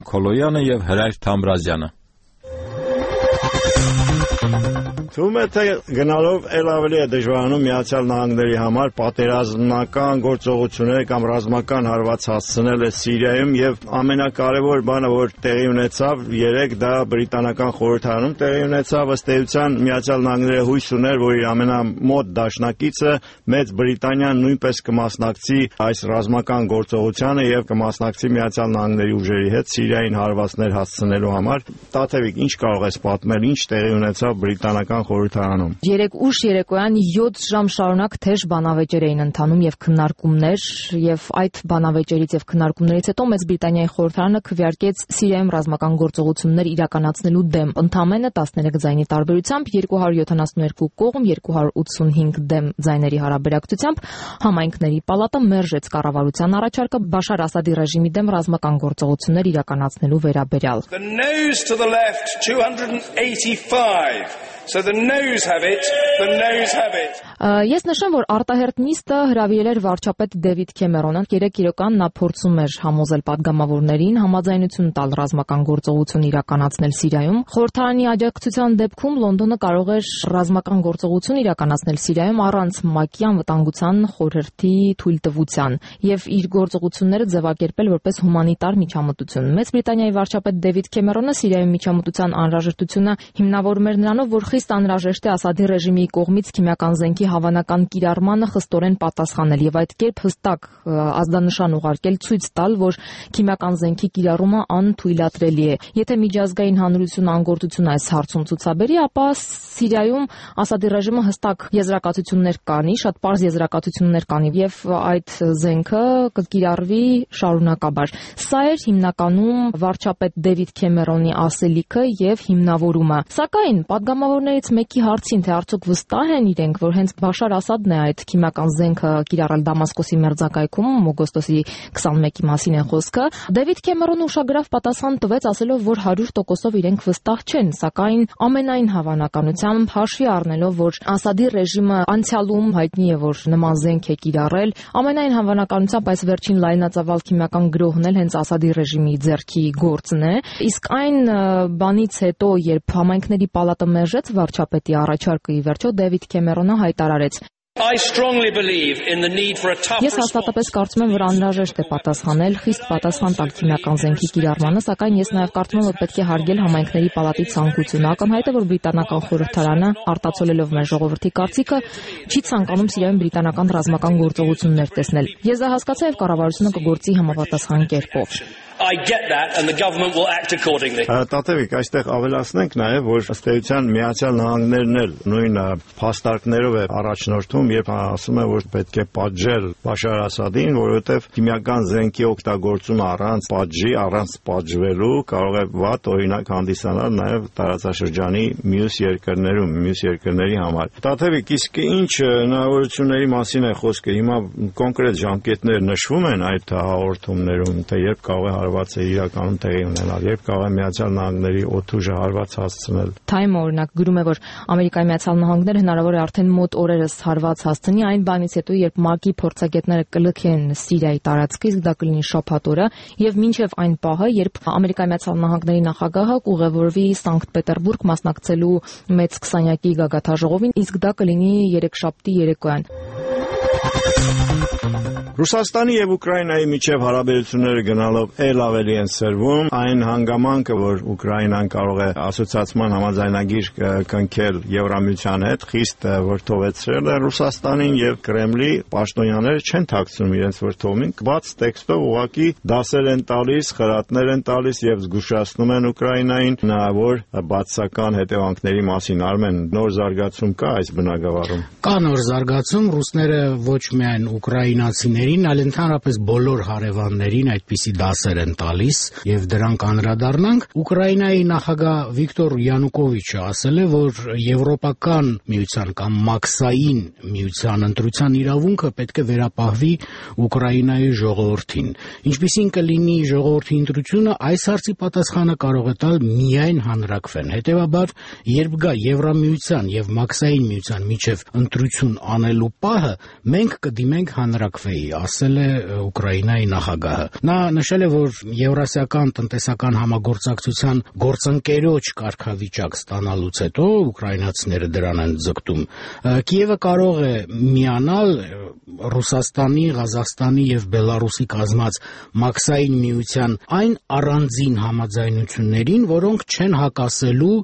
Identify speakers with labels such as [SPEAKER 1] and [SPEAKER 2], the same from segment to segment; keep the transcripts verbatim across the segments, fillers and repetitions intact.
[SPEAKER 1] Քոլոյանը եւ Հրայր Թամրազյանը։
[SPEAKER 2] Թվում է, թե գնալով էլ ավելի է դժվարանում Միացյալ Նահանգների համար պատերազմական գործողություններ կամ ռազմական հարված հասցնել է Սիրիայում եւ ամենակարևոր բանը, որ տեղի ունեցավ երեք, դա բրիտանական խորհրդարանում տեղի ունեցավ, ըստ էության Միացյալ Նահանգները հույս ուներ, որ իր ամենամոտ դաշնակիցը Մեծ Բրիտանիան նույնպես կմասնակցի այս ռազմական գործողությանը եւ կմասնակցի Միացյալ Նահանգների ուժերի հետ Սիրիային հարվածներ հասցնելու համար։ Տաթևիկ, ինչ կարող ես պատմել, ինչ տեղի ունեցավ բրիտանական խորհրդարանում։
[SPEAKER 3] Երեք ուշ երեկոյան յոթ ժամ շարունակ թեժ բանավեճեր էին ընթանում եւ քննարկումներ, եւ այդ բանավեճերից եւ քննարկումներից հետո Մեծ Բրիտանիայի խորհրդարանը քվեարկեց Սիրիայում ռազմական գործողություններ իրականացնելու դեմ ընդամենը տասներեք ձայնի տարբերությամբ երկու հարյուր յոթանասունութ կողմ, երկու հարյուր ութսունհինգ դեմ ձայների հարաբերակցությամբ համայնքների պալատը մերժեց կառավարության առաջարկը Բաշար Ասադի ռեժիմի դեմ ռազմական գործողություններ իրականացնելու վերաբերյալ։
[SPEAKER 4] The noes to the left two hundred eighty-five. So the noes have it, the noes have it.
[SPEAKER 3] Ես նշեմ, որ արտահերտ նիստը հրավիրել էր վարչապետ Դեվիդ Քեմերոնը։ Երեք իրական նա փորձում էր համոզել падգամավորներին համաձայնություն տալ ռազմական գործողություն իրականացնել Սիրիայում։ Խորհրդարանի աջակցության դեպքում Լոնդոնը կարող էր ռազմական գործողություն իրականացնել Սիրիայում առանց ՄԱԿ-ի անվտանգության խորհրդի թույլտվության եւ իր գործողությունները ձևակերպել որպես հումանիտար միջամտություն։ Մեծ Բրիտանիայի վարչապետ Դեվիդ Քեմերոնը Սիրիայում միջամտության անհրաժեշտությունը հիմնավորում էր նրանով, որ խիստ անհրաժեշտ է Ասադի ռեժիմի կողմից քիմիական զենքի հավանական կիրառմանը խստորեն պատասխանել եւ այդ կերպ հստակ ազդանշան ուղարկել ցույց տալ, որ քիմիական զենքի կիրառումը անթույլատրելի է։ Եթե միջազգային հանրությունը անգործություն այս հարցում ցուցաբերի, ապա Սիրիայում Ասադի ռեժիմը հստակ եզրակացություններ կանի, շատ պարզ եզրակացություններ կանի եւ այդ զենքը կկիրառվի շարունակաբար։ Սա էր հիմնականում վարչապետ Դեվիդ Քեմերոնի ասելիքը եւ հիմնավորումը։ Սակայն падգամավորներից մեկի հարցին, թե արդյոք վստահ են իրենք, որ հենց Բաշար Ասադն է այդ քիմիական զենքը կիրառել Դամասկոսի մերձակայքում, օգոստոսի քսանմեկի մասին է խոսքը, Դեվիդ Քեմերոնը ուշագրավ պատասխան տվեց, ասելով, որ հարյուր տոկոսով իրենք վստահ չեն, սակայն ամենայն հավանականությամբ հաշվի առնելով, որ Ասադի ռեժիմը անցյալում հայտնի է, որ նման զենք է կիրառել, ամենայն հավանականությամբ այս վերջին լայնածավալ քիմիական գրոհն էլ հենց Ասադի ռեժիմի ձեռքի գործն է, իսկ այն բանից հետո, երբ համայնքների պալատը մերժեց վարչապետի առաջարկը, ի վերջո Դեվիդ Քեմերոնը հայտարարեց.
[SPEAKER 4] I strongly believe in the need for a tough
[SPEAKER 3] Ես հաստատապես կարծում եմ, որ անհրաժեշտ է պատասխանել, խիստ պատասխան տալ քիմիական զենքի կիրառմանը, սակայն ես նաև կարծում եմ, որ պետք է հարգել համայնքների պալատի ցանկությունը։ Ակնհայտ է, որ բրիտանական խորհրդարանը, արտացոլելով մեր ժողովրդի կարծիքը, չի ցանկանում Սիրիայում բրիտանական ռազմական գործողություններ տեսնել։ Ես դա հասկացա եւ կառավարությունը կգործի համապատասխան կերպով։
[SPEAKER 4] I get that and the government will act accordingly.
[SPEAKER 2] Տատևիկ, այստեղ ավելացնենք նաև, որ ըստ էության Միացյալ Նահանգներն էլ նույն փաստարկներով է առաջնորդում, երբ ասում է, որ պետք է պատժել Բաշար Ասադին, որովհետև քիմիական զենքի օգտագործումը առանց պատժի, առանց պատժվելու կարող է վատ օրինակ հանդիսանալ նաև տարածաշրջանի մյուս երկրներում, մյուս երկրների համար։ Տատևիկ, իսկ ինչ հնարավորությունների մասին է խոսքը։ Հիմա կոնկրետ ժամկետներ նշվում են այդ հաղորդումներում, թե երբ կարող է հարված է իրականում տեղի ունենալ, երբ կարող է Միացյալ Նահանգների օդուժը հարված հասցնել։
[SPEAKER 3] Time օրինակ գրում է, որ Ամերիկայի Միացյալ Նահանգները հնարավոր է արդեն մոտ օրերս հարված հասցնի այն բանից հետո, երբ ՄԱԿ-ի փորձագետները կլքեն Սիրիայի տարածքը, իսկ դա կլինի շաբաթ օրը, եւ մինչեւ այն պահը, երբ Ամերիկայի Միացյալ Նահանգների նախագահը կուղևորվի Սանկտ Պետերբուրգ մասնակցելու մեծ քսանյակի գագաթաժողովին, իսկ դա կլինի երեքշաբթի երեկոյան։
[SPEAKER 2] Ռուսաստանի եւ Ուկրաինայի միջև հարաբերությունները գնալով ել ավելի են սրվում, այն հանգամանքը, որ Ուկրաինան կարող է ասոցիացիան համաձայնագիր կնքել Եվրամիության հետ, խիստ որդովեցրել է Ռուսաստանին եւ Կրեմլի պաշտոնյաները չեն թաքցնում իրենց որդովին, բաց տեքստով ուղղակի դասեր են տալիս, խրատներ են տալիս եւ զգուշացնում են Ուկրաինային հնարավոր բացասական հետևանքների մասին։ Արմեն, նոր զարգացում կա այս բնագավառում։
[SPEAKER 5] Կա նոր զարգացում, ռուսները ոչ միայն ուկրաինացիներին, այլ ընդհանրապես բոլոր հարևաններին այդպիսի դասեր են տալիս եւ դրանք անդրադառնանք։ Ուկրաինայի նախագահ Վիկտոր Յանուկովիչը ասել է, որ եվրոպական միության կամ մաքսային միության ընտրության իրավունքը պետք է վերապահվի Ուկրաինայի ժողովրդին։ Ինչպիսին կլինի ժողովրդի ընտրությունը, այս հարցի պատասխանը կարող է տալ միայն հանրաքվեն։ Հետևաբար, երբ գա Եվրամիության եւ մաքսային միության միջև ընտրություն անելու պահը, մենք կդիմենք հանրաքվեի։ ասել է Ուկրաինայի նախագահը։ Նա նշել է, որ Եվրասիական տնտեսական համագործակցության գործընկերոջ կարգավիճակ ստանալուց հետո ուկրաինացիները դրան են ձգտում։ Կիևը կարող է միանալ Ռուսաստանի, Ղազախստանի եւ Բելարուսի կազմած մաքսային միության այն առանձին համաձայնություններին, որոնք չեն հակասելու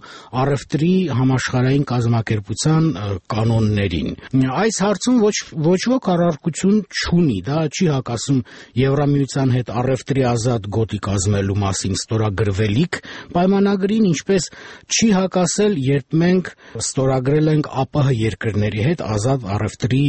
[SPEAKER 5] առևտրի համաշխարհային կազմակերպության կանոններին։ Այս հարցում ոչ ոչ ոք առարկություն չունի, դա չի հակասում Եվրամիության հետ առևտրի ազատ գոտի կազմելու մասին ստորագրվելիք պայմանագրին, ինչպես չի հակասել, երբ մենք ստորագրել ենք ԱՊՀ երկրների հետ ազատ առևտրի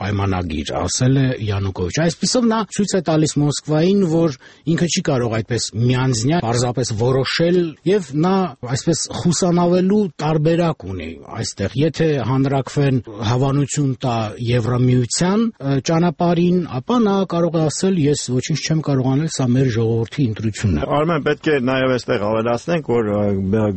[SPEAKER 5] պայմանագիր, ասել է Յանուկովիչ։ Այսպիսով նա ցույց է տալիս Մոսկվային, որ ինքը չի կարող այդպես միանձնյա պարզապես որոշել եւ նա այսպես խուսանավելու տարբերակ ունի այստեղ։ Եթե հանրակրվեն հավանություն տա Եվրամիության ճանապարհին, ապա նա կարող է ասել, ես ոչինչ չեմ կարող անել, սա մեր ժողովրդի ընտրությունն է։
[SPEAKER 2] Արմեն, պետք է նաեւ այստեղ ավելացնենք, որ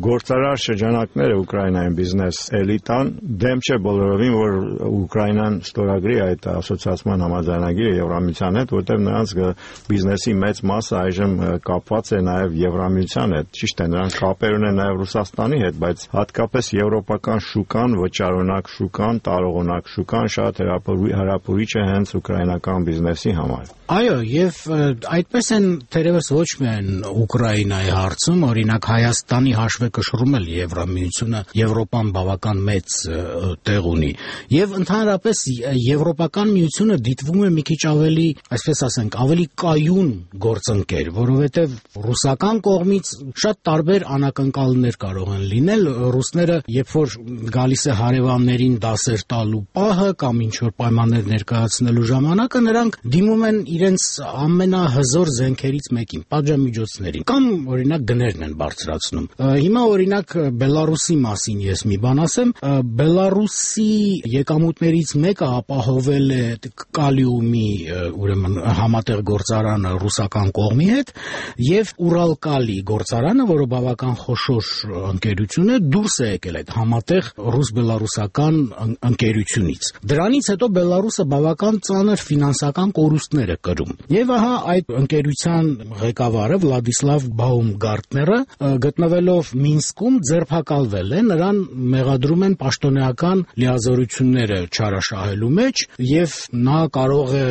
[SPEAKER 2] գործարար շրջանակները Ուկրաինայում բիզնես էլիտան դեմ չէ բոլորովին, որ Ուկրաինան ստորագրի այդ ասոցիացիան համաձայնագիրը Եվրամիության հետ, որտեղ նրանց բիզնեսի մեծ մասը այժմ կապված է նաեւ Եվրամիության հետ։ Ճիշտ է, նրանք կապեր ունեն նաեւ Ռուսաստանի հետ, բայց հատկապես եվրոպական շուկան, վճարունակ շուկան, տարողունակ շուկան շատ հարապուրիչ է հենց ուկրաինական բիզնեսի համար։
[SPEAKER 5] Այո, եւ այդպես են թերևս ոչ միայն Ուկրաինայի հարցում, օրինակ Հայաստանի հաշվեկշռում էլ Եվրամիությունը Եվրոպան բավական մեծ տեղ ունի։ Եվ ընդհանրապես Եվրոպական միությունը դիտվում է մի քիչ ավելի, այսպես ասենք, ավելի կայուն գործընկեր, որովհետեւ ռուսական կողմից շատ տարբեր անակնկալներ կարող են լինել։ Ռուսները, երբ որ գալիս է հարևաններին դասեր տալու պահը կամ ինչ որ պայմաններ ներկայացնելու ժամանակը, նրանք դիմում են իրենց ամենահզոր զենքերից մեկին, պատժամիջոցներին, կամ օրինակ գներն են բարձրացնում։ Հիմա օրինակ Բելարուսի մասին ես մի բան ասեմ, Բելարուսի եկամուտներից մեկը ապահովել է կալիումի, ուրեմն համատեղ գործարանը ռուսական կողմի հետ, եւ Ուրալկալի գործարանը, որը բավական խոշոր ընկերություն է, դուրս է եկել այդ համատեղ ռուս-բելարուսական ընկերությունից։ Դրանից հետո Բելարուսը բավական ծանր ֆինանսական կորուստներ է կրում։ Եվ ահա այդ ընկերության ղեկավարը Վլադիսլավ Բաումգարտները գտնվելով Մինսկում ձերբակալվել է, նրան մեղադրում են պաշտոնեական լիազորությունները չարաշահելու մեջ եւ նա կարող է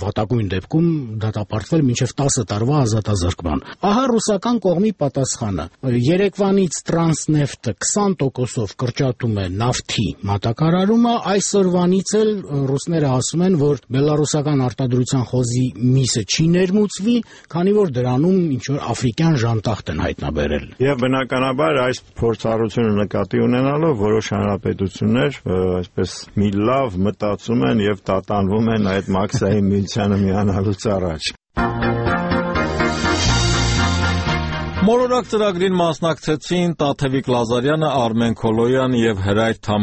[SPEAKER 5] վատագույն դեպքում դատապարտվել մինչեւ տասը տարվա ազատազրկման։ Ահա ռուսական կողմի պատասխանը։ Երեկվանից Տրանսնեֆտը քսան տոկոսով կրճատում է նավթի մատակարարումը, այսօրվանից էլ ռուսները ասում են, որ բելարուսական արտադրության խոզի միսը չի ներմուծվի, քանի որ դրանում ինչ որ աֆրիկյան ժանտախտ են հայտնաբերել։
[SPEAKER 2] Եվ բնականաբար այս փորձառությունը նկատի ունենալով որոշ հանրապետություններ այսպես մի լավ մտածում են եւ տատանվում են այդ մաքսային միությանը միանալուց առաջ։
[SPEAKER 1] Մոլորակ ծրագրին մասնակցեցին Տաթևիկ Լազարյանը, Արմեն Քոլոյան եւ Հրայր